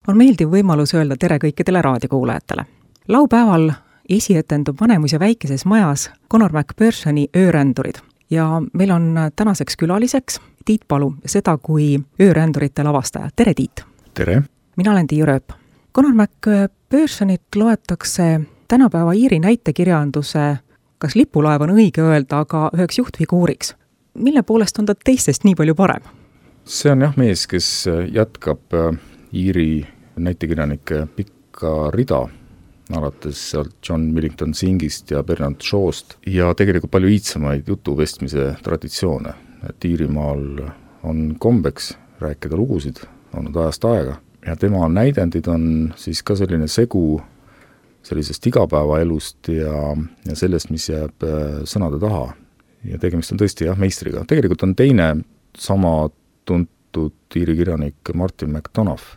On meeldiv võimalus öelda tere kõikidele raadiokuulajatele. Laupäeval esietendub Vanemuise väikeses majas Conor McPhersoni Öörändurid ja meil on tänaseks külaliseks Tiit Palu, seda kui öörändurite lavastaja. Tere, Tiit! Tere! Mina olen Tiiu Rööp. Conor McPhersonit loetakse tänapäeva Iiri näitekirjanduse, kas lipulaev on õige öelda, aga üheks juhtfiguuriks. Mille poolest on ta teistest nii palju parem? See on mees, kes jätkab Iiri näitekirjanike pikka rida, alates sealt John Millington Singist ja Bernard Shaw'st ja tegelikult palju iidsamaid jutuvestmise traditsioone. Et Iirimaal on kombeks rääkida lugusid, olnud ajast aega ja tema näidendid on siis ka selline segu sellisest igapäevaelust ja sellest, mis jääb sõnade taha. Ja tegemist on tõesti meistriga. Tegelikult on teine sama tuntud Iiri kirjanik Martin McDonough,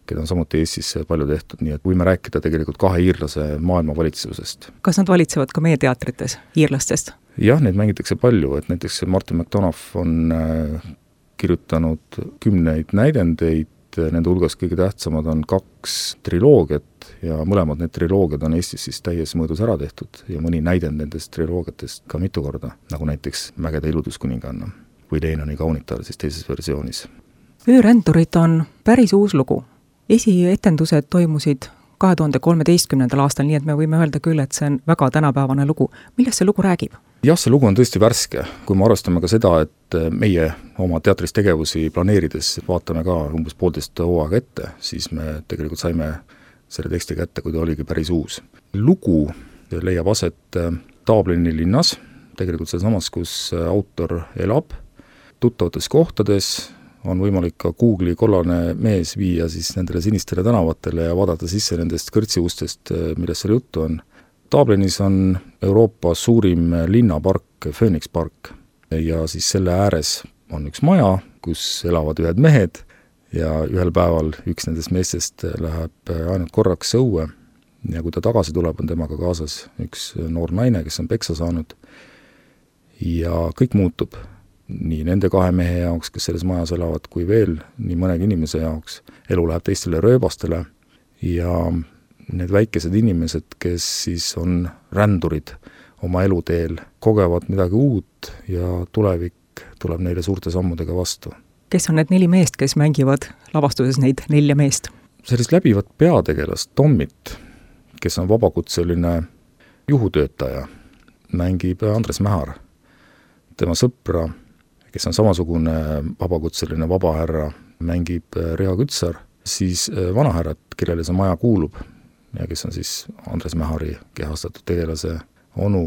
keda on samuti Eestisse palju tehtud, nii et võime rääkida tegelikult kahe iirlase maailma valitsusest. Kas nad valitsevad ka meie teatrites iirlastest? Jah, neid mängitakse palju, et näiteks Martin McDonough on kirjutanud 10 näidendeid, nende hulgas kõige tähtsamad on 2 triloogiat ja mõlemad need triloogiad on Eestis siis täies mõõdus ära tehtud ja mõni näidend nendest triloogiatest ka mitu korda, nagu näiteks Mägede ilutuskuninganna või Leenoni kaunitar siis teises versioonis. Öörändurid on päris uus lugu. Esietendused toimusid 2013. aastal, nii et me võime öelda küll, et see on väga tänapäevane lugu. Millest see lugu räägib? Jah, see lugu on tõesti värske. Kui me arvestame ka seda, et meie oma teatris tegevusi planeerides vaatame ka umbes 1,5 hooaega ette, siis me tegelikult saime selle teksti kätte, kui ta oligi päris uus. Lugu leiab aset Dublini linnas, tegelikult sealsamas, kus autor elab, tuttavates kohtades. On võimalik ka Google'i kollane mees viia siis nendele sinistele tänavatele ja vaadata sisse nendest kõrtsiustest, millest seal juttu on. Dublinis on Euroopa suurim linnapark, Phoenix Park, ja siis selle ääres on üks maja, kus elavad ühed mehed ja ühel päeval üks nendest meestest läheb ainult korraks õue ja kui ta tagasi tuleb, on temaga kaasas üks noor naine, kes on peksa saanud ja kõik muutub. Nii nende 2 mehe jaoks, kes selles majas elavad, kui veel nii mõnegi inimese jaoks. Elu läheb teistele rööbastele ja need väikesed inimesed, kes siis on rändurid oma eluteel, kogevad midagi uut ja tulevik tuleb neile suurte sammudega vastu. Kes on need 4 meest, kes mängivad lavastuses neid 4 meest? Sellist läbivat peategelast Tommit, kes on vabakutseline juhutöötaja, mängib Andres Mähar. Tema sõpra, kes on samasugune vabakutseline vabahärra, mängib Riho Kütsar, siis vanahärrat, kellele see maja kuulub ja kes on siis Andres Mähari kehastatud tegelase onu,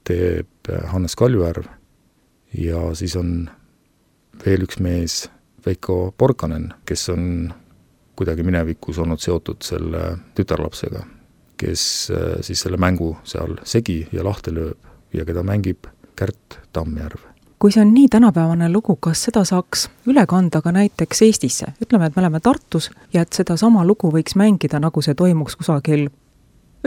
teeb Hannes Kaljujärv ja siis on veel üks mees, Veiko Porkanen, kes on kuidagi minevikus olnud seotud selle tütarlapsega, kes siis selle mängu seal segi ja lahti lööb ja keda mängib Kärt Tammjärv. Kui see on nii tänapäevane lugu, kas seda saaks üle kanda ka näiteks Eestisse? Ütleme, et me oleme Tartus ja et seda sama lugu võiks mängida, nagu see toimuks kusagil,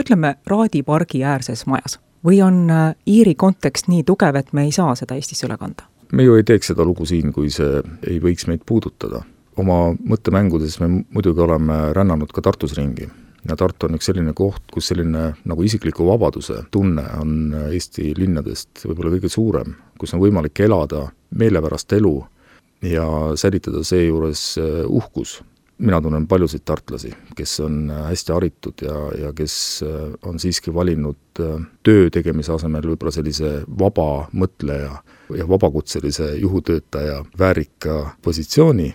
ütleme, Raadi pargi äärses majas. Või on Iiri kontekst nii tugev, et me ei saa seda Eestisse üle kanda? Me ju ei teeks seda lugu siin, kui see ei võiks meid puudutada. Oma mõttemängudes me muidugi oleme rännanud ka Tartus ringi. Ja Tartu on üks selline koht, kus selline nagu isikliku vabaduse tunne on Eesti linnadest võib-olla kõige suurem, kus on võimalik elada meelepärast elu ja säilitada seejuures uhkus. Mina tunnen paljusid tartlasi, kes on hästi haritud ja kes on siiski valinud töö tegemise asemel võib-olla sellise vaba mõtleja ja vabakutselise juhutöötaja väärika positsiooni.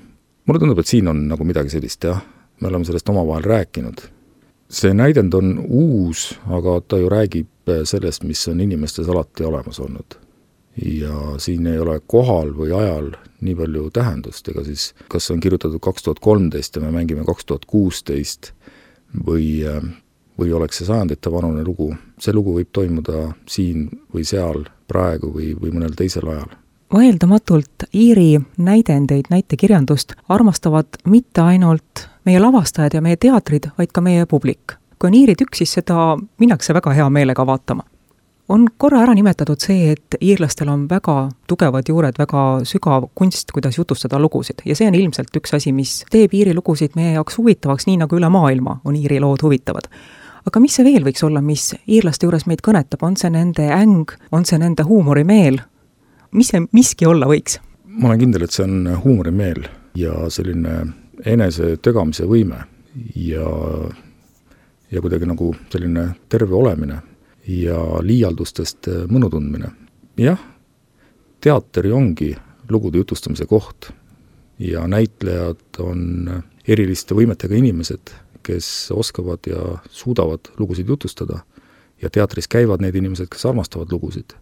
Mulle tundub, et siin on nagu midagi sellist, jah. Me oleme sellest omavahel rääkinud. See näidend on uus, aga ta ju räägib sellest, mis on inimestes alati olemas olnud. Ja siin ei ole kohal või ajal nii palju tähendust, ega siis kas on kirjutatud 2013 ja me mängime 2016 või oleks see sajandite vanune lugu. See lugu võib toimuda siin või seal praegu või mõnel teisel ajal. Vaieldamatult Iiri näidendeid, näitekirjandust armastavad mitte ainult meie lavastajad ja meie teatrid, vaid ka meie publik. Kui on Iiri tükk, siis seda minnakse väga hea meelega vaatama. On korra ära nimetatud see, et iirlastel on väga tugevad juured, väga sügav kunst, kuidas jutustada lugusid ja see on ilmselt üks asi, mis teeb Iiri lugusid meie jaoks huvitavaks, nii nagu üle maailma on Iiri lood huvitavad. Aga mis see veel võiks olla, mis iirlaste juures meid kõnetab, on see nende äng, on see nende huumorimeel? Mis see miski olla võiks? Ma olen kindel, et see on huumorimeel ja selline enese tögamise võime ja kuidagi nagu selline terve olemine ja liialdustest mõnu tundmine. Jah, teateri ongi lugude jutustamise koht ja näitlejad on eriliste võimetega inimesed, kes oskavad ja suudavad lugusid jutustada ja teatris käivad need inimesed, kes armastavad lugusid.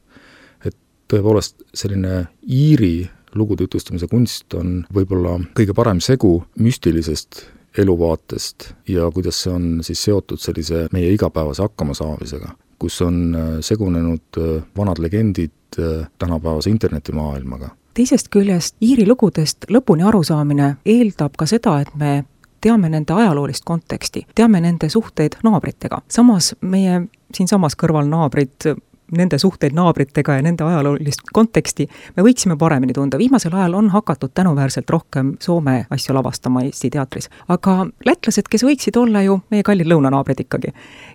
Et tõepoolest selline Iiri lugude jutustamise kunst on võib-olla kõige parem segu müstilisest eluvaatest ja kuidas see on siis seotud sellise meie igapäevase hakkamasaamisega, kus on segunenud vanad legendid tänapäevase internetimaailmaga. Teisest küljest Iiri lugudest lõpuni arusaamine eeldab ka seda, et me teame nende ajaloolist konteksti, teame nende suhteid naabritega. Samas meie siinsamas kõrval naabrid, nende suhteid naabritega ja nende ajaloolist konteksti me võiksime paremini tunda. Viimasel ajal on hakatud tänuväärselt rohkem Soome asju lavastama Eesti teatris. Aga lätlased, kes võiksid olla ju meie kallid lõunanaabrid ikkagi,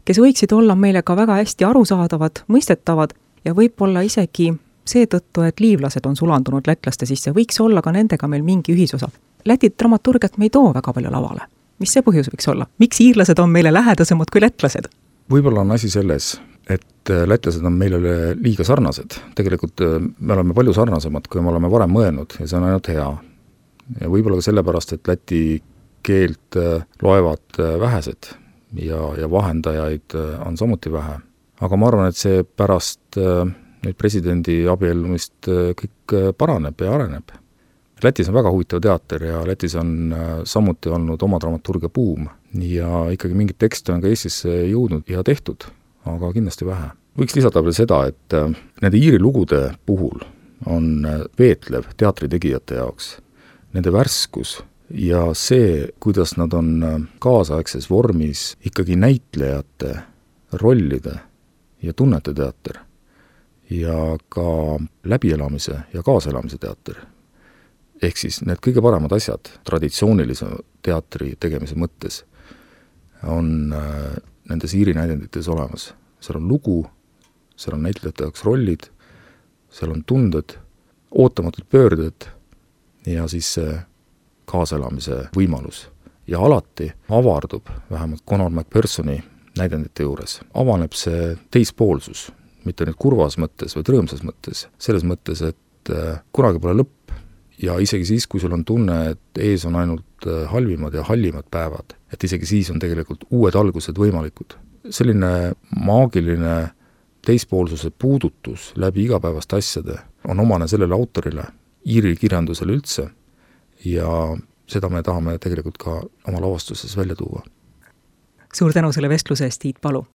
kes võiksid olla meile ka väga hästi arusaadavad, mõistetavad ja võib-olla isegi seetõttu, et liivlased on sulandunud lätlaste sisse, võiks olla ka nendega meil mingi ühisosa. Läti dramaturgiat me ei too väga palju lavale. Mis see põhjus võiks olla? Miks iirlased on meile lähedasemad kui lätlased? Võib-olla on asi selles, et lätlased on meile liiga sarnased. Tegelikult me oleme palju sarnasemad, kui me oleme varem mõelnud ja see on ainult hea. Ja võib-olla ka sellepärast, et läti keelt loevad vähesed ja vahendajaid on samuti vähe. Aga ma arvan, et see pärast nüüd presidendi abiellumist kõik paraneb ja areneb. Lätis on väga huvitav teater ja Lätis on samuti olnud oma dramaturgia buum ja ikkagi mingid tekste on ka Eestisse jõudnud ja tehtud, aga kindlasti vähe. Võiks lisada veel seda, et nende Iiri lugude puhul on veetlev teatritegijate jaoks, nende värskus ja see, kuidas nad on kaasaegses vormis ikkagi näitlejate, rollide ja tunnete teater ja ka läbielamise ja kaaselamise teater. Ehk siis need kõige paremad asjad traditsioonilise teatri tegemise mõttes on nendes Iiri näidendites olemas. Seal on lugu, seal on näitlejate jaoks rollid, seal on tunded, ootamatud pöörded ja siis see kaaselamise võimalus. Ja alati avardub, vähemalt Conor McPhersoni näidendite juures, avaneb see teispoolsus, mitte nüüd kurvas mõttes või rõõmsas mõttes, selles mõttes, et kunagi pole lõpp ja isegi siis, kui sul on tunne, et ees on ainult halvimad ja hallimad päevad, et isegi siis on tegelikult uued algused võimalikud. Selline maagiline teispoolsuse puudutus läbi igapäevaste asjade on omane sellele autorile, Iiri kirjandusele üldse ja seda me tahame tegelikult ka oma lavastuses välja tuua. Suur tänu selle vestluse eest, Tiit Palu!